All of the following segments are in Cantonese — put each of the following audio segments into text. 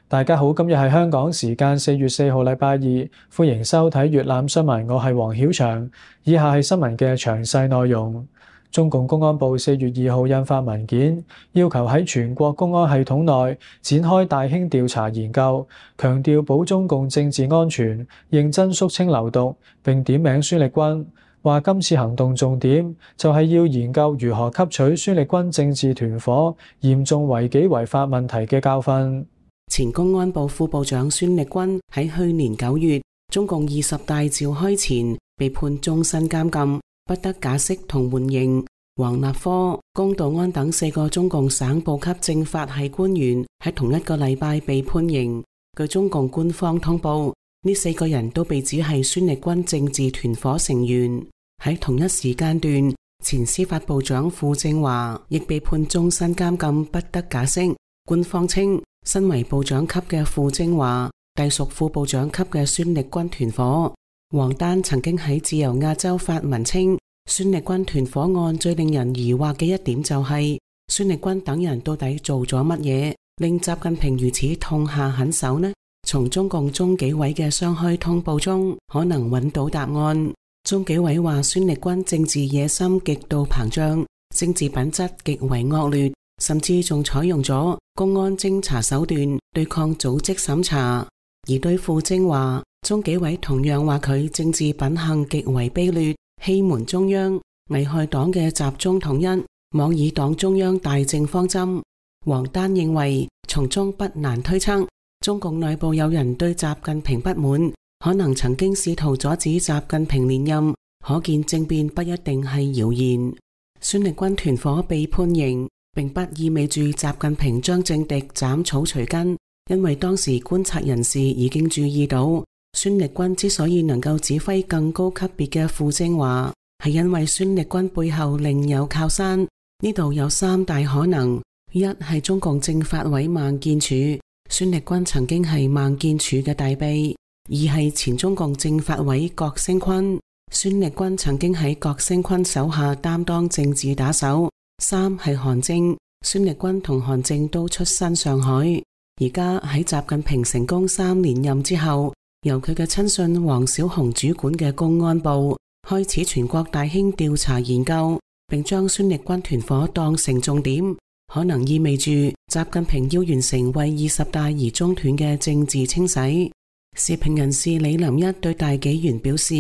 大家好，今日係香港時間4月4號禮拜二，歡迎收睇粵覽新聞，我係黃曉翔。以下係新聞嘅詳細內容。中共公安部4月2號印發文件，要求喺全國公安系統內展開大興調查研究，強調保中共政治安全，認真肅清流毒，並點名孫力軍。話今次行動重點就係要研究如何吸取孫力軍政治團夥嚴重違紀違法問題嘅教訓。前公安部副部長孫力軍喺去年9月中共20大召開前被判終身監禁，不得假釋同緩刑。王立科、龔道安等4個中共省部級政法系官員喺同一個禮拜被判刑。據中共官方通報，呢4個人都被指係孫力軍政治團夥成員。喺同一時間段，前司法部長傅政華亦被判終身監禁，不得假釋。官方稱，身為部長級嘅傅政華隸屬副部長級嘅孫力軍團夥。王丹曾經喺自由亞洲發文稱，孫力軍團夥案最令人疑惑嘅一點就係孫力軍等人到底做咗乜嘢，令習近平如此痛下狠手呢？從中共中紀委嘅雙開通報中可能揾到答案。中紀委話孫力軍政治野心極度膨脹，政治品質極為惡劣，甚至仲採用咗公安偵查手段對抗組織審查。而對傅政華，中紀委同樣話佢政治品行極為卑劣，欺瞞中央，危害黨嘅集中統一，妄議黨中央大政方針。王丹認為，從中不難推測，中共內部有人對習近平不滿，可能曾經試圖阻止習近平連任，可見政變不一定係謠言。孫力軍團夥被判刑，並不意味住習近平將政敵斬草除根，因為當時觀察人士已經注意到，孫力軍之所以能夠指揮更高級別嘅傅政華，係因為孫力軍背後另有靠山。呢度有3大可能：一係中共政法委孟建柱，孫力軍曾經係孟建柱嘅大秘；二係前中共政法委郭聲琨，孫力軍曾經喺郭聲琨手下擔當政治打手；三係韓正，孫力軍同韓正都出身上海。而家喺習近平成功3連任之後，由佢嘅親信王小洪主管嘅公安部開始全國大興調查研究，並將孫力軍團夥當成重點，可能意味住習近平要完成為20大而中斷嘅政治清洗。時評人士李林一對大紀元表示，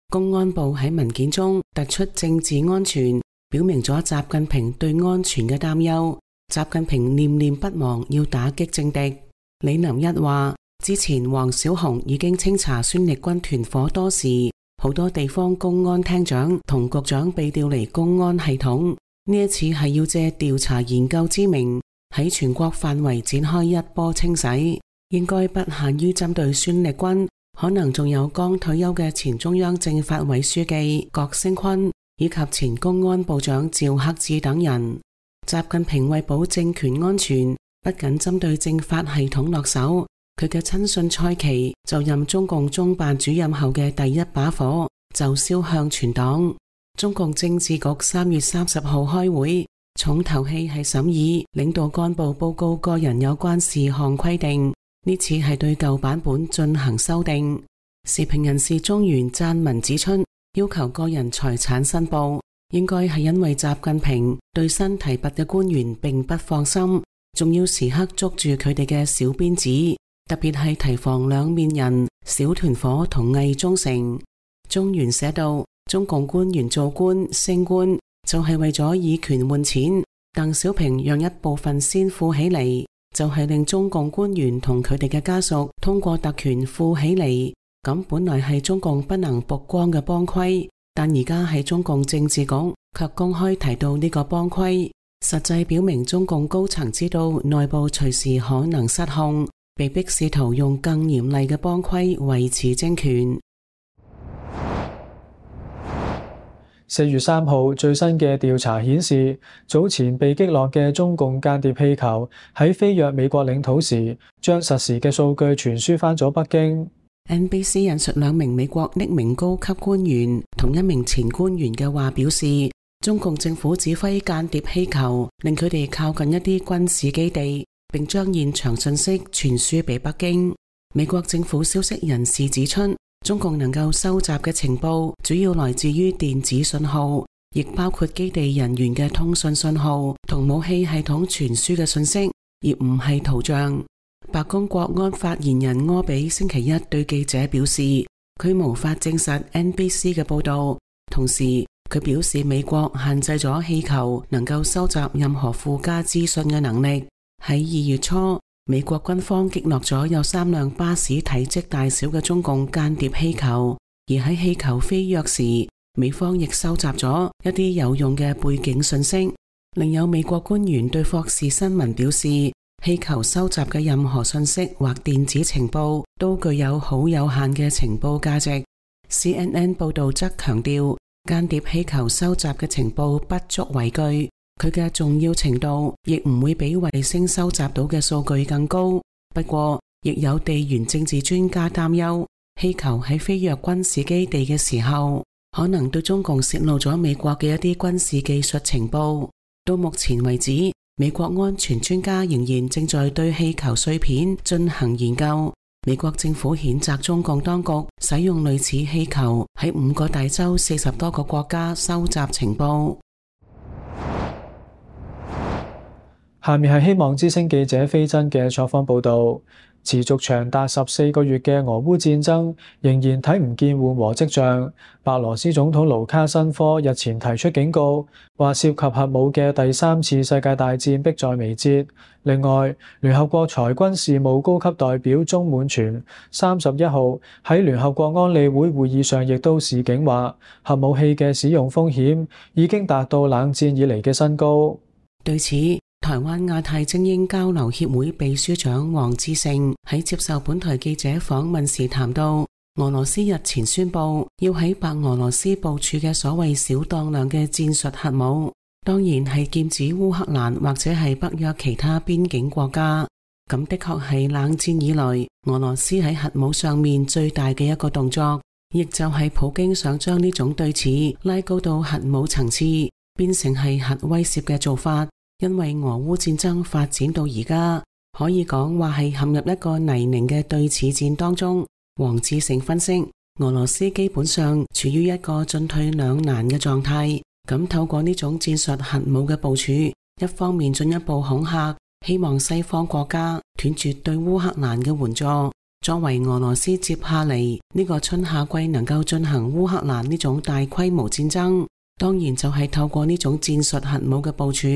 公安部喺文件中突出政治安全，表明咗習近平對安全嘅擔憂。習近平念念不忘要打擊政敵。李林一話，之前王小洪已經清查孫力軍團夥多時，好多地方公安廳長同局長被調離公安系統。呢一次係要借調查研究之名，喺全國範圍展開一波清洗，應該不限於針對孫力軍，可能仲有剛退休嘅前中央政法委書記郭聲琨以及前公安部長趙克志等人。習近平為保政權安全，不僅針對政法系統落手，佢嘅親信蔡奇就任中共中辦主任後嘅第一把火就燒向全黨。中共政治局3月30號開會，重頭戲係審議領導幹部報告個人有關事項規定，呢次係對舊版本進行修訂。時評人士中原撰文指出，要求個人財產申報，應該係因為習近平對新提拔嘅官員並不放心，仲要時刻捉住佢哋嘅小辮子，特別係提防兩面人、小團伙同偽忠誠。中原寫道，中共官員做官升官就係為咗以權換錢，鄧小平讓一部分先富起嚟，就係令中共官員同佢哋嘅家屬通過特權富起嚟。咁本來係中共不能曝光嘅幫規，但而家喺中共政治局卻公開提到呢個幫規，實際表明中共高層知道內部隨時可能失控，被迫試圖用更嚴厲嘅幫規維持政權。4月3號最新嘅調查顯示，早前被擊落嘅中共間諜氣球喺飛越美國領土時，將實時嘅數據傳輸返咗北京。NBC 引述2名美國匿名高級官員同1名前官員嘅話表示，中共政府指揮間諜氣球，令佢哋靠近一啲軍事基地，並將現場信息傳輸俾北京。美國政府消息人士指出，中共能夠收集嘅情報主要來自於電子信號，亦包括基地人員嘅通訊信號同武器系統傳輸嘅信息，而唔係圖像。白宮國安發言人柯比星期一對記者表示，佢無法證實 NBC 嘅報道，同時佢表示美國限制咗氣球能夠收集任何附加資訊嘅能力。喺2月初，美國軍方擊落咗有3輛巴士體積大小嘅中共間諜氣球，而喺氣球飛躍時，美方亦收集咗一啲有用嘅背景信息。另有美國官員對霍士新聞表示，氣球收集嘅任何信息或電子情報都具有好有限嘅情報價值。CNN 報道則強調，間諜氣球收集嘅情報不足為據，佢嘅重要程度亦唔會比衛星收集到嘅數據更高。不過，亦有地緣政治專家擔憂，氣球喺飛越軍事基地嘅時候，可能對中共洩露咗美國嘅一啲軍事技術情報。到目前為止，美國安全專家仍然正在對氣球碎片進行研究。美國政府譴責中共當局使用類似氣球喺5個大洲40多個國家收集情報。下面係希望之聲記者飛真嘅採訪報導。持續長達14個月嘅俄烏戰爭仍然睇唔見緩和跡象。白羅斯總統盧卡申科日前提出警告，話涉及核武嘅第3次世界大戰迫在眉睫。另外，聯合國裁軍事務高級代表鐘滿全31號喺聯合國安理會會議上亦都示警，話核武器嘅使用風險已經達到冷戰以嚟嘅新高。對此，台灣亞太精英交流協會秘書長黃志成喺接受本台記者訪問時談到，俄羅斯日前宣布要喺白俄羅斯部署嘅所謂小當量嘅戰術核武，當然係劍指烏克蘭或者係北約其他邊境國家。咁的確係冷戰以來俄羅斯喺核武上面最大嘅一個動作，亦就係普京想將呢種對峙拉高到核武層次，變成係核威懾嘅做法。因為俄烏戰爭發展到而家，可以講話係陷入一個泥濘嘅對峙戰當中。黃志成分析，俄羅斯基本上處於一個進退兩難嘅狀態。咁透過呢種戰術核武嘅部署，一方面進一步恐嚇，希望西方國家斷絕對烏克蘭嘅援助，作為俄羅斯接下嚟呢個春夏季能夠進行烏克蘭呢種大規模戰爭，當然就係透過呢種戰術核武嘅部署，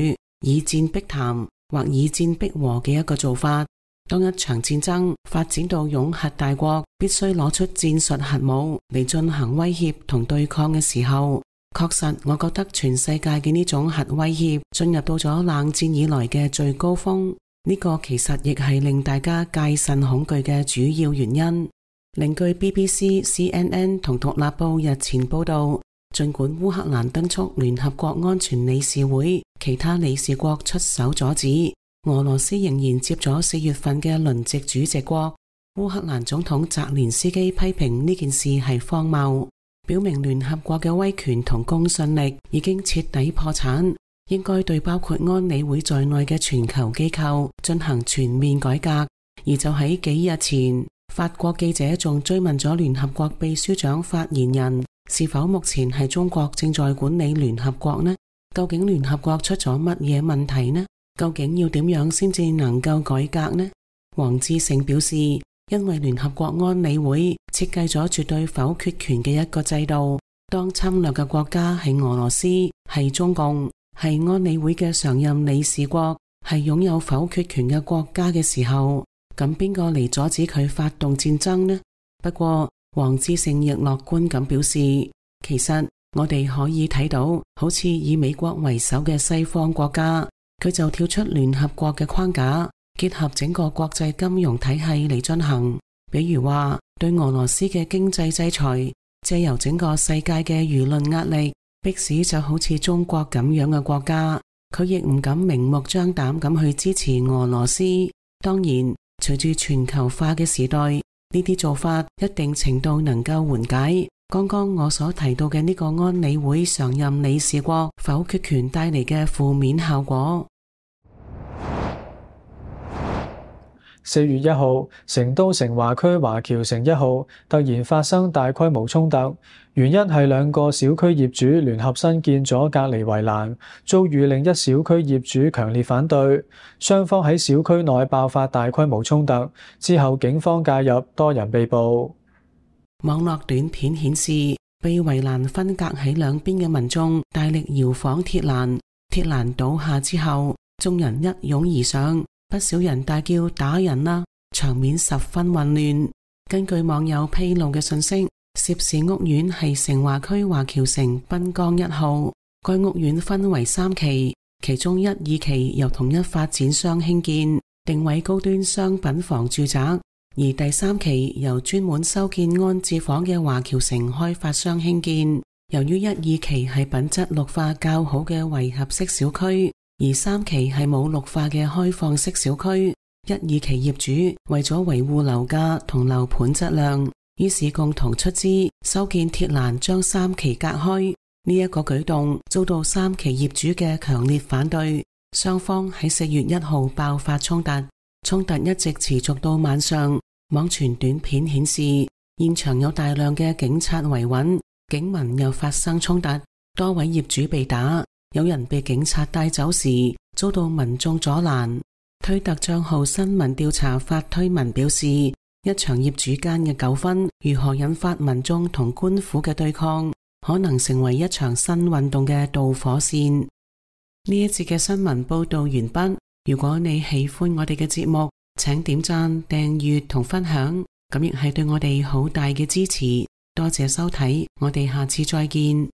以戰逼談或以戰逼和嘅一個做法。當一場戰爭發展到擁核大國必須攞出戰術核武嚟進行威脅同對抗嘅時候，確實我覺得全世界嘅呢種核威脅進入到咗冷戰以來嘅最高峰。呢個其實亦係令大家戒慎恐懼嘅主要原因。另據 BBC、CNN 同獨立報日前報道，儘管烏克蘭敦促聯合國安全理事會其他理事國出手阻止，俄羅斯仍然接咗4月份嘅輪值主席國。烏克蘭總統澤連斯基批評呢件事係荒謬，表明聯合國嘅威權同公信力已經徹底破產，應該對包括安理會在內嘅全球機構進行全面改革。而就喺幾日前，法國記者仲追問咗聯合國秘書長發言人，是否目前係中國正在管理聯合國呢？究竟聯合國出咗乜嘢問題呢？究竟要點樣先至能夠改革呢？黃志成表示，因為聯合國安理會設計咗絕對否決權嘅一個制度，當侵略嘅國家係俄羅斯、係中共、係安理會嘅常任理事國、係擁有否決權嘅國家嘅時候，咁邊個嚟阻止佢發動戰爭呢？不過黃志成亦樂觀咁表示，其實我哋可以睇到，好似以美國為首嘅西方國家，佢就跳出聯合國嘅框架，結合整個國際金融體系嚟進行，比如話對俄羅斯嘅經濟制裁，借由整個世界嘅輿論壓力，迫使就好似中國咁樣嘅國家，佢亦唔敢明目張膽咁去支持俄羅斯。當然，隨住全球化嘅時代，呢啲做法一定程度能夠緩解，剛剛我所提到嘅呢個安理會常任理事國否決權帶嚟嘅負面效果。4月1號，成都成華區華僑城1號突然發生大規模衝突，原因係兩個小區業主聯合新建咗隔離圍欄，遭遇另一小區業主強烈反對，雙方喺小區內爆發大規模衝突，之後警方介入，多人被捕。網絡短片顯示，被圍欄分隔喺兩邊嘅民眾大力搖晃鐵欄，鐵欄倒下之後，眾人一擁而上，不少人大叫打人啦，場面十分混亂。根據網友披露嘅信息，涉事屋苑係成華區華僑城濱江1號，該屋苑分為3期，其中1、2期由同一發展商興建，定位高端商品房住宅。而第3期由專門修建安置房嘅華僑城開發商興建。由於1、2期係品質綠化較好嘅圍合式小區，而3期係冇綠化嘅開放式小區，1、2期業主為咗維護樓價同樓盤質量，於是共同出資修建鐵欄將3期隔開。呢一個舉動遭到3期業主嘅強烈反對，雙方喺4月1號爆發衝突，衝突一直持續到晚上。網傳短片顯示，現場有大量嘅警察維穩，警民又發生衝突，多位業主被打，有人被警察帶走時遭到民眾阻攔。推特賬號新聞調查發推文表示，一場業主間嘅糾紛如何引發民眾同官府嘅對抗，可能成為一場新運動嘅導火線。呢一節嘅新聞報道完畢。如果你喜歡我哋嘅節目，請點讚、訂閱同分享，咁亦係對我哋好大嘅支持。多謝收睇，我哋下次再見。